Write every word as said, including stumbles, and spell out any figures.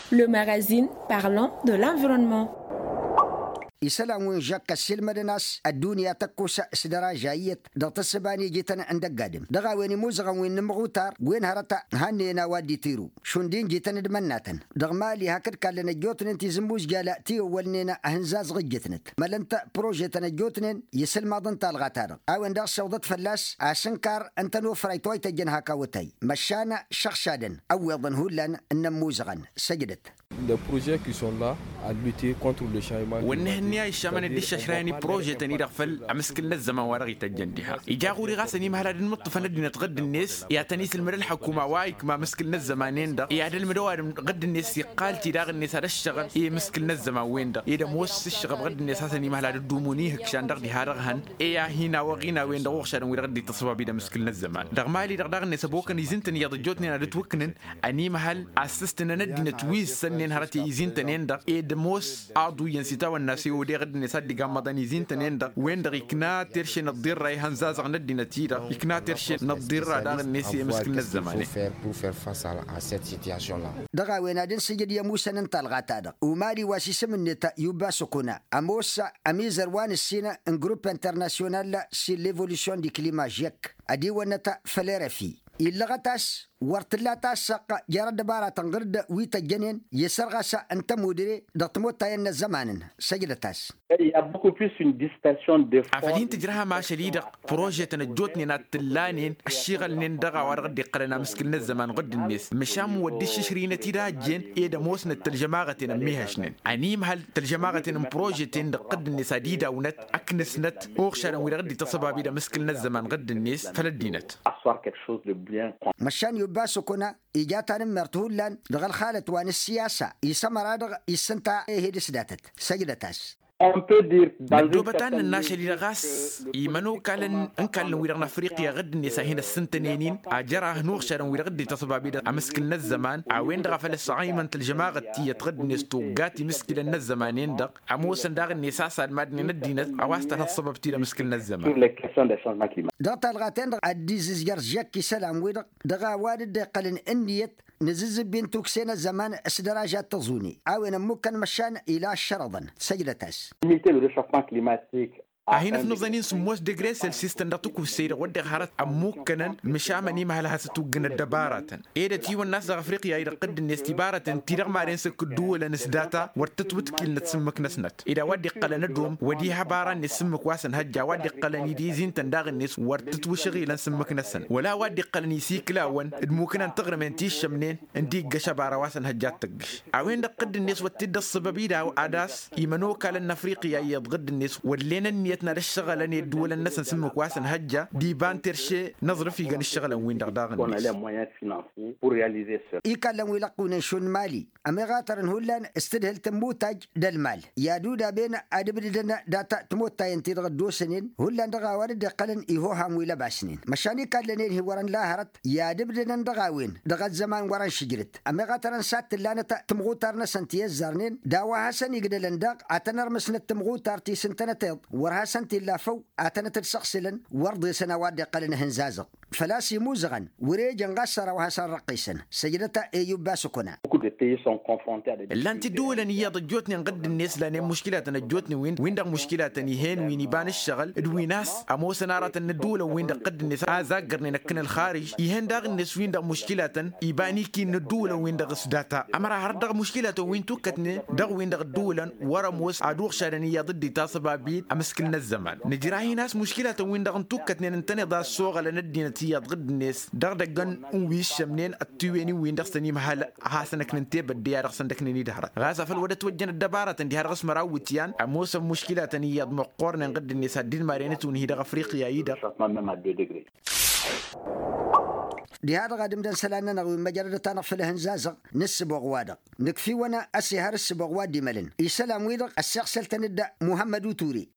Le magazine parlant de l'environnement. Isălan wi n-žăkk ăssiilmădăn a-s ăddunya tăkkosa s-dăraža iyyăt dăɣ-tǝssǝba n-ijităn n-dăgg-adǝm dăɣ-a-wen imuzăɣăn wi n-inǝmɣutar wen hărăt hannăyăn a-wa dd-itiru šund injităn d-imănnatăn. Dăɣ-mali hakd kallăn ăjjootnen tizǝmmuzjala ti ăwwălnen ahǝnzazăɣ ǝjjǝtnăt mălăn-t prožetăn ăjjootnen i-isǝlmaḍăn talɣa-ta-dăɣ a-wen daɣ ăssewḍăt fălla-s asǝnkar n-tănofrayt wa ităjjăn hak awătay măšan šăɣšadăn ăwweḍăn hullan n-inǝmmuzăɣăn. Săjdăt. Wănnăh ǝnni a iššamăn dd-iššăšrayăn i-prožetăn-i-dăɣ făll-amǝskǝl n-ăzzăman wa dăɣ-ităjjăn diha ija ɣur-i ɣas ănimhăl ad-ǝnmǝṭṭǝfăn ăddinăt ɣǝdd-net i-ad-tăn-isǝlmǝd ălḥăkuma wa ikma amǝskǝl n-ăzzăman-en-dăɣ i-ad-ălmǝd ăwadǝm ɣǝdd-net iqqal-t-i daɣ-net ad-ăššăɣǝl i-amǝskǝl n-ăzzăman-wen-dăɣ ed ămoos ǝššăɣăb ɣǝdd-net a-s ănimhăl ad-dd-umun ihǝkšan dăɣ-diha dăɣ-hăn i-ad-hin-awăɣ inawen dăɣ-uɣšadăn wi-dăɣ dd-ittăṣṣăbab-dd amǝskǝl n-ăzzăman. Dăɣ-mali-dăɣ daɣ-net ăbokăn izǝntăn iyyăḍ ăjjootnen ad-ǝtwǝknǝn ănimhăl a s-ǝstǝnăn ăddinăt wi ǝssănnen hărăt i-izintăn-en-dăɣ ed ămoos aḍu iyyăn s-itawănna s-e-odeɣ ăddinăt ad-dd-igammăḍăn izintăn-en-dăɣ wen-dăɣ ikna terše n-ăḍḍirra ihănzazăɣ n-ăddinăt-i-dăɣ ikna terše n-ăḍḍirra daɣ-net i-emǝskǝl n-ăzzăman-e. Dăɣ-a-wen ad-ǝnsǝjǝd i-ămusăn n-talɣa-ta-dăɣ umali wa s-isǝm-net yubba săkuna ămoos ămizăr wa n-ǝssin n-grupp internasyonal s-e-l-evolution di klima žek ădiwănnăt făll-erăfi illăɣăt a-s wăr t-tǝlla tassaɣt jer-ăddăbaratăn ɣǝr-dd wi tăjjănen i-sărɣas n-tămudre dăɣ-timottayăn n-ăzzăman-n. Săjdăt-as. Afăl hin-tǝjrăhăm ašăl-i-dăɣ prožetăn ăjjootnen ad-t-ǝllanen ăššiɣălnen dăɣ-a-wa-dăɣ dd-iqqălăn amǝskǝl n-ăzzăman ɣǝdd-net măšan wăr dd-iššǝšrǝynăt-dd a ăjjeen ed ămoosnăt tălžămaɣăten ămmihăšnen ănimhăl tălžămaɣăten n-prožeten dăɣ-tădd-net ad-idawǝnăt ăknăsnăt uɣšadăn wi-dăɣ dd-ităṣăbab-dd amǝskǝl n-ăzzăman ɣǝdd-net făll-ăddinăt. Măšan yubba săkuna ija tanǝmmert hullan dăɣ-ălxalăt wa n-ǝssiyasa isămăra-dăɣ issǝnta ehed s-datăt. Săjdăt-as. Măddoobăt ad-nǝnn ašăl-i-dăɣ ɣas imănokalăn n-ikallăn-wi-dăɣ n-afriqya ɣǝdd-net a hin-ăssǝntănen-in ajăraɣ nuɣšadăn-wi-dăɣ dd-ităṣbab-i-dăɣ amǝskǝl n-ăzzăman a-wen-dăɣ a făl ăsɣăymăn tălžămaɣăt tiyyăt ɣǝdd-net tuggat imǝskǝlăn n-ăzzăman-en-dăɣ ămoosăn daɣ-net a-s ad-madnen ăddinăt a-wa s-tănhăḍ săbăb ti d-amǝskǝl n-ăzzăman. Dăɣ-talɣa-ten-dăɣ ad-dd-izǝzjăr žăkk isălan-wi-dăɣ dăɣ-a-wa dd-iqqălăn ǝnniyăt n-azǝzzǝbbi n-tukse n-ăzzăman s-dăraža d-tăẓune a-wen ămmukkăn măšan ila ăššărăḍăn. Săjdăt-as. Limite le rechauffement climatique. A hin-ăfnăẓăn-in sǝmmos degre celsius-tăn dăɣ-tǝkussey-dăɣ wădden hărăt ămmukkănăn măšan imhăl ad-has-ătuggǝn ăddăbaratăn ed ătiwănna a-s dăɣ-afriqya-i-dăɣ ɣǝdd-net tibaratăn ti-dăɣ madăn s-ǝkk ǝddǝwǝlăn s-data wăr tǝtwǝtkilnăt sǝmmǝk-năsnăt ed a-wa dd-iqqălăn ădom wăr diha abara-net sǝmmǝk wa s-ănhăjja a-wa dd-iqqălăn idizin-tăn daɣ-net wăr tǝtwǝšɣilăn sǝmmǝk-năsăn wăla a-wa dd-iqqălăn isikǝlawăn d-mukǝna n-taɣrǝmen ti ǝššămnen ǝndiggăš abara wa s-ănhăjja ad-tăggǝš a-wen-dăɣ ɣǝdd-net wăr t-dd-ăṣṣăbăb-i daw ad-ass imănokalăn n-afriqya iyyăḍ ɣǝdd-net wăllen ǝnniyăt n-ad-ǝššăɣǝlăn i-ăddǝwǝlăn-năsăn sǝmmǝk wa s-ănhăjja d-iba n-terše n-aẓrǝf iga n-ǝššăɣǝlăn-win-dăɣ daɣ-net. Ikallăn wi lăqqunen šund mali ămiɣatărăn hullan s-tǝdhǝlt n-imutaj d-ălmal i-ad-udaben ad-ǝbdǝdăn data timottayăn-ti-dăɣ dd-osănen hullan dăɣ-a-wa dd-iqqălăn ihoham wi lăbasnen măšan ikallănen hi-wărăn la hărăt i-ad-ǝbdǝdăn dăɣ-a-wen dăɣ-ăzzăman wărăn šǝjrǝt. Ămiɣatărăn s-ad-tǝllanăt tǝmɣutar-năsăn ti ăzzarnen d-a-wa hasăn-igdălăn daɣ ad-tăn-ărmǝsnăt tǝmɣutar ti s-ǝntănăteḍ wăr hasăn-t-illa făw ad-tănăt-dd-săɣsǝlăn wăr ḍesăn a-wa dd-iqqălăn ihǝnzazăɣ făl-a-s imuzăɣăn wăr-e ejăn ɣas săr-a-wa hasăn-răqqisăn. Săjdăt-a eyub asǝkuna. Ǝllan-t iddǝwǝlăn iyyăḍ ăjjootnen ɣǝdd-net lanen muškilatăn ăjjootnen wi-dăɣ muškilatăn ih'-en wi n-iba n-ǝššăɣǝl d-wi n-a-s ămoosăn aratăn n-ǝddǝwǝlăn-win-dăɣ ɣǝdd-net a zaggărnen ăkk n-ălxarǝž ih'-en daɣ-net wi-dăɣ muškilatăn iba n-ikin n-ǝddǝwǝlăn-win-dăɣ s-data ămăra hărăt dăɣ-muškilatăn wi n-tukkătnen dăɣ-win-dăɣ ǝddǝwǝlăn wăr-ămoos ad-uɣšadăn iyyăḍ dd-itasăbab-dd amǝskǝl n-ăzzăman nǝjrah-in a-s muškilatăn-win-dăɣ n-tukkătnen ǝntăneḍ a ăssoɣălăn ăddinăt iyyăḍ ɣǝdd-net dăɣ-idăggăn n-wi ǝššămnen ăttiwen-in-win-dăɣ s-ănimhal hasăn-ăknǝn tebădde a dăɣ-săn dd-ăknǝn-dd hărăt ɣas afăl wăr ătwăjjăn ăddăbarătăn diha-dăɣ s-măraw iwǝtyan ămoosăn muškilatăn iyyăḍ măqqoornen ɣǝdd-net ad-dd-maren ǝtwǝnhi dăɣ-afriqya-i-dăɣ. Diha-dăɣ ad-ǝmdăn isălan-nănăɣ wi n-măjrădăt-anăɣ făll-ehǝnzazăɣ n-ǝssǝboɣ-wa-dăɣ nǝkf'-iwăn a-s ehăr ǝssǝboɣ wa dd-imălăn isălan-wi-dăɣ ăssiɣsăl-tăn-dd muhămmăd uture.